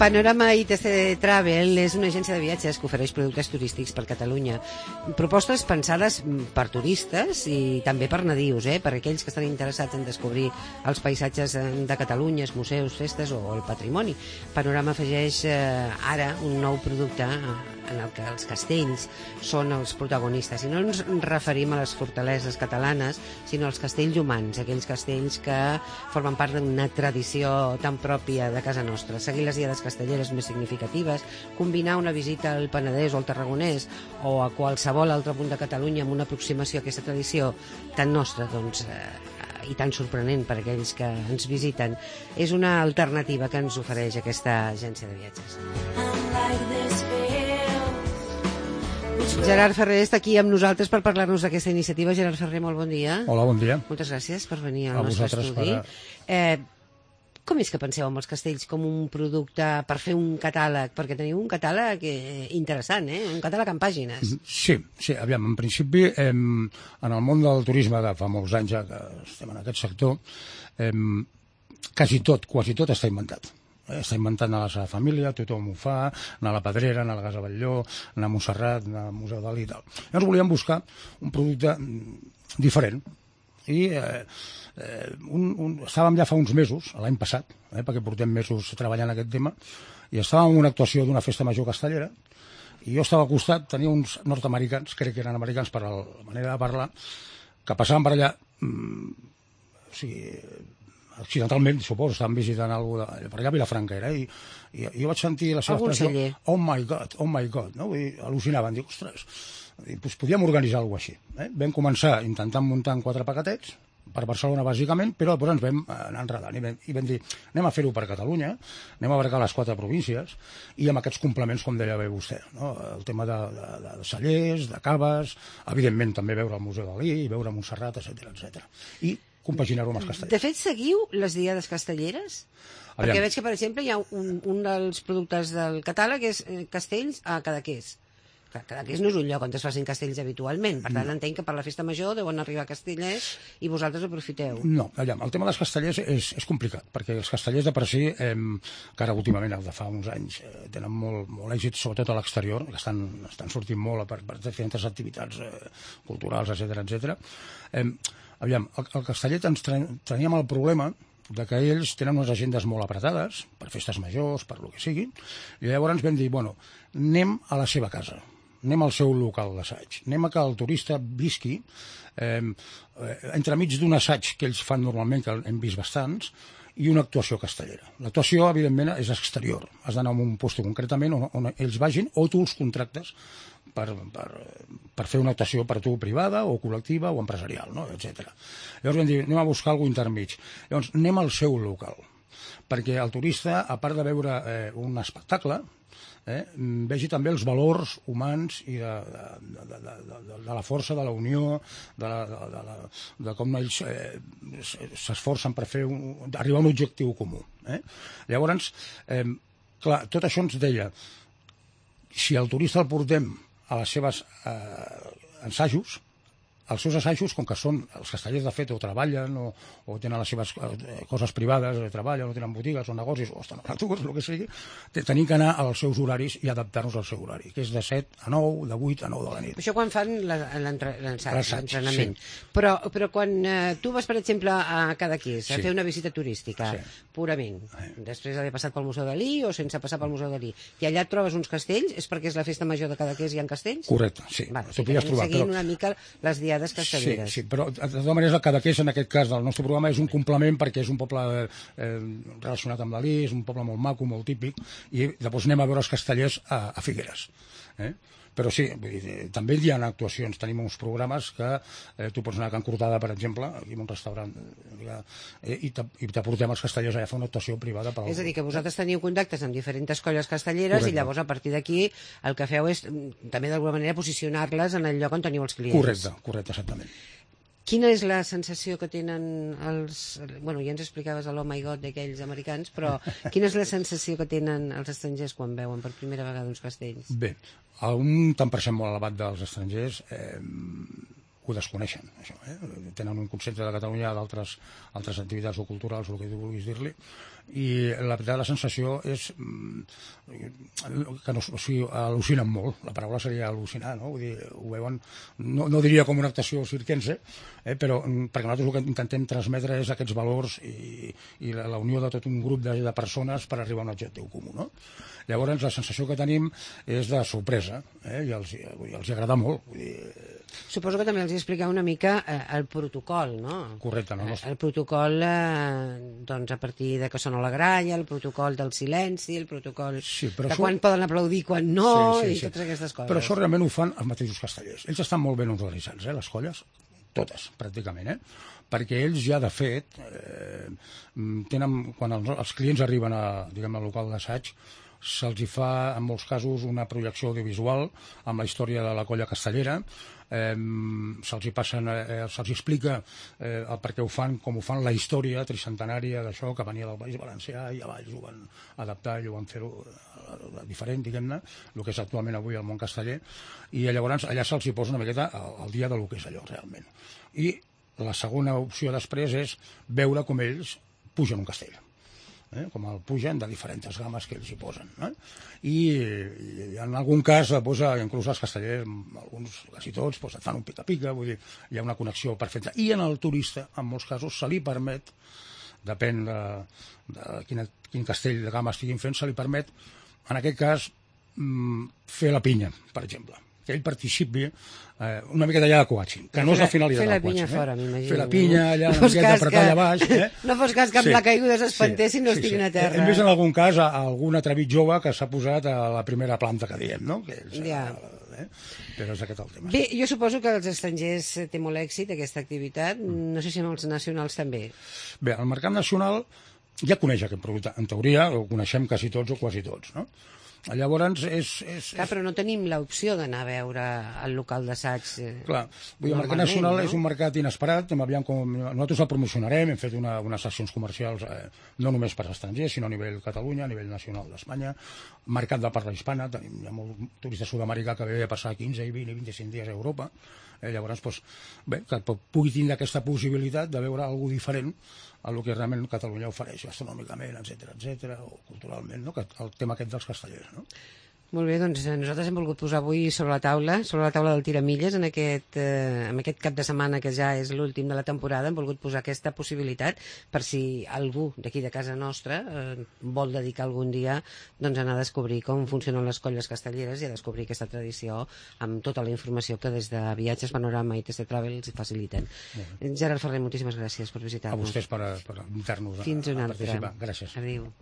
Panorama ITC Travel és una agència de viatges que ofereix productes turístics per Catalunya. Propostes pensades per turistes i també per nadius, per aquells que estan interessats en descobrir els paisatges de Catalunya, els museus, festes o el patrimoni. Panorama afegeix ara un nou producte en el que els castells són els protagonistes. I no ens referim a les fortaleses catalanes, sinó als castells humans, aquells castells que formen part d'una tradició tan pròpia de casa nostra. Seguir les diades castelleres més significatives, combinar una visita al Penedès o al Tarragonès o a qualsevol altre punt de Catalunya amb una aproximació a aquesta tradició tan nostra, doncs, i tan sorprenent per aquells que ens visiten, és una alternativa que ens ofereix aquesta agència de viatges. Gerard Ferrer està aquí amb nosaltres per parlar-nos d'aquesta iniciativa. Gerard Ferrer, molt bon dia. Hola, bon dia. Moltes gràcies per venir al nostre estudi. Com és que penseu en els castells com un producte per fer un catàleg? Perquè teniu un catàleg interessant, un catàleg en pàgines. Sí, aviam, en principi, en el món del turisme de fa molts anys ja que estem en aquest sector, quasi tot està inventat. Està inventat a la seva família, tothom ho fa, anar a la Pedrera, anar a la Casa Batlló, anar a Montserrat, anar al Museu Dalí i tal. Llavors volíem buscar un producte diferent i estàvem ja fa uns mesos, l'any passat, perquè portem mesos treballant aquest tema, i estàvem en una actuació d'una festa major castellera i jo estava al costat, tenia uns nord-americans, crec que eren americans per la manera de parlar, que passaven per allà, o sigui, accidentalment, suposo, estaven visitant alguna cosa per allà a Vilafranca era, i jo vaig sentir la seva expressió, oh my god, no? Vull dir, al·lucinaven, dic, ostres, doncs podíem organitzar alguna cosa així. Vam començar intentant muntar en 4 paquetets, per Barcelona bàsicament, però després ens vam anar enredant i vam dir, anem a fer-ho per Catalunya, anem a abarcar les 4 províncies i amb aquests complements, com deia bé vostè, no? El tema de cellers, de caves, evidentment també veure el Museu Dalí, veure Montserrat, etc. I compaginar-ho amb els castellers. De fet, seguiu les diades castelleres? Perquè veig que, per exemple, hi ha un dels productes del catàleg és castells a Cadaqués. Cadaqués no és un lloc on es facin castells habitualment, per tant entenc que per la festa major deuen arribar castellers i vosaltres aprofiteu. No, el tema dels castellers és complicat, perquè els castellers de per si, que ara últimament, de fa uns anys, tenen molt èxit, sobretot a l'exterior, que estan sortint molt per diferents activitats culturals, etc. Aviam, el casteller teníem el problema de que ells tenen unes agendes molt apretades, per festes majors, per lo que sigui, i llavors vam dir, bueno, anem a la seva casa, anem al seu local d'assaig, anem a que el turista visqui entremig d'un assaig que ells fan normalment, que hem vist bastants, i una actuació castellera. L'actuació, evidentment, és exterior. Has d'anar a un lloc concretament on ells vagin o tu els contractes per fer una actuació per tu privada o col·lectiva o empresarial, no? etc. Llavors vam dir, anem a buscar alguna cosa intermig. Llavors anem al seu local, perquè el turista, a part de veure un espectacle, vegi també els valors humans i de la força, de la unió, de com ells s'esforcen per arribar a un objectiu comú. Llavors, clar, tot això ens deia, si el turista el portem a les seves assajos, els seus assajos, com que són els castellers de fet o treballen o tenen les seves coses privades, treballen o tenen botigues o negocis o estan a l'atur, el que sigui, tenim que anar als seus horaris i adaptar-nos al seu horari, que és de 7 a 9, de 8 a 9 de la nit. Això quan fan l'entrenament. Sí. Però quan tu vas, per exemple, a Cadaqués a fer una visita turística, purament, després d'haver passat pel Museu Dalí o sense passar pel Museu Dalí, i allà et trobes uns castells, és perquè és la festa major de Cadaqués i hi ha castells? Correcte, sí. Seguint una mica les diades castelleres. Sí, però de totes maneres el Cadaqués, en aquest cas del nostre programa, és un complement perquè és un poble relacionat amb l'Alí, és un poble molt maco, molt típic, i llavors anem a veure els castellers a Figueres. Però sí, també hi ha actuacions, tenim uns programes que tu pots anar a Can Cortada, per exemple, aquí en un restaurant, i t'aportem els castellers allà a fer una actuació privada. És a dir, que vosaltres teniu contactes amb diferents colles castelleres. Correcte. I llavors a partir d'aquí el que feu és també d'alguna manera posicionar-les en el lloc on teniu els clients. Correcte, exactament. Quina és la sensació que tenen els... Bueno, ja ens explicaves l'Oh My God d'aquells americans, però quina és la sensació que tenen els estrangers quan veuen per primera vegada uns castells? Bé, un tant per cent molt elevat dels estrangers ho desconeixen, això, tenen un concepte de Catalunya d'altres activitats o culturals, o el que tu vulguis dir-li, i la veritat la sensació és que al·lucinen molt, la paraula seria al·lucinar, no? Vull dir, ho veuen, no diria com una actuació circense, però perquè nosaltres el que intentem transmetre és aquests valors i la unió de tot un grup de persones per arribar a un objectiu comú, no? Llavors la sensació que tenim és de sorpresa, i els agrada molt, vull dir. Suposo que també els expliqueu una mica el protocol, no? Correcte, no? El protocol, doncs, a partir de que sona la gralla, el protocol del silenci, el protocol de quan poden aplaudir, quan no, i totes aquestes coses. Però això realment ho fan els mateixos castellers. Ells estan molt ben organitzats, les colles, totes, pràcticament, perquè ells ja, de fet, tenen, quan els clients arriben al local d'assaig, se'ls fa, en molts casos, una projecció audiovisual amb la història de la colla castellera, se'ls explica el per què ho fan, com ho fan, la història tricentenària d'això, que venia del País Valencià, i a Valls ho van adaptar i ho van fer diferent, diguem-ne, el que és actualment avui el món casteller, i llavors allà se'ls posa una miqueta al dia del que és allò, realment. I la segona opció després és veure com ells pugen un castell. Com el pugen de diferents games que ells hi posen, i en algun cas inclús els castellers, alguns, quasi tots, et fan un pica-pica, vull dir, hi ha una connexió perfecta, i en el turista en molts casos se li permet, depèn de quin castell de gama estiguin fent, se li permet en aquest cas fer la pinya, per exemple, que ell participi una miqueta allà de coaching, que no és la finalitat del coaching. Fer la pinya fora, m'imagino. Fer la pinya allà, una miqueta apretar allà baix. No fos cas que amb la caiguda s'espantessin i no estiguin a terra. Hem vist en algun cas algun atrevit jove que s'ha posat a la primera planta que diem, no? Però és aquest el tema. Bé, jo suposo que els estrangers té molt èxit aquesta activitat, no sé si en els nacionals també. Bé, el mercat nacional ja coneix aquest producte, en teoria ho coneixem quasi tots o quasi tots, no? Llavors Clar, però no tenim l'opció d'anar a veure el local d'assaig. Clar, el mercat nacional és un mercat inesperat, nosaltres el promocionarem, hem fet unes accions comercials no només per als estrangers, sinó a nivell Catalunya, a nivell nacional d'Espanya, mercat de parla hispana, tenim molt turista sud-americà que ve a passar 15, 20 i 25 dies a Europa, llavors, que pugui tindre aquesta possibilitat de veure alguna cosa diferent a el que realment Catalunya ofereix gastronòmicament, etc., o culturalment, el tema aquest dels castellers. Molt bé, doncs nosaltres hem volgut posar avui sobre la taula del Tiramilles, en aquest cap de setmana que ja és l'últim de la temporada, hem volgut posar aquesta possibilitat per si algú d'aquí de casa nostra vol dedicar algun dia doncs, a anar a descobrir com funcionen les colles castelleres i a descobrir aquesta tradició amb tota la informació que des de Viatges, Panorama i TC Travel els faciliten. Gerard Ferrer, moltíssimes gràcies per visitar-nos. A vostès per invitar-nos a participar. Gràcies. Adéu.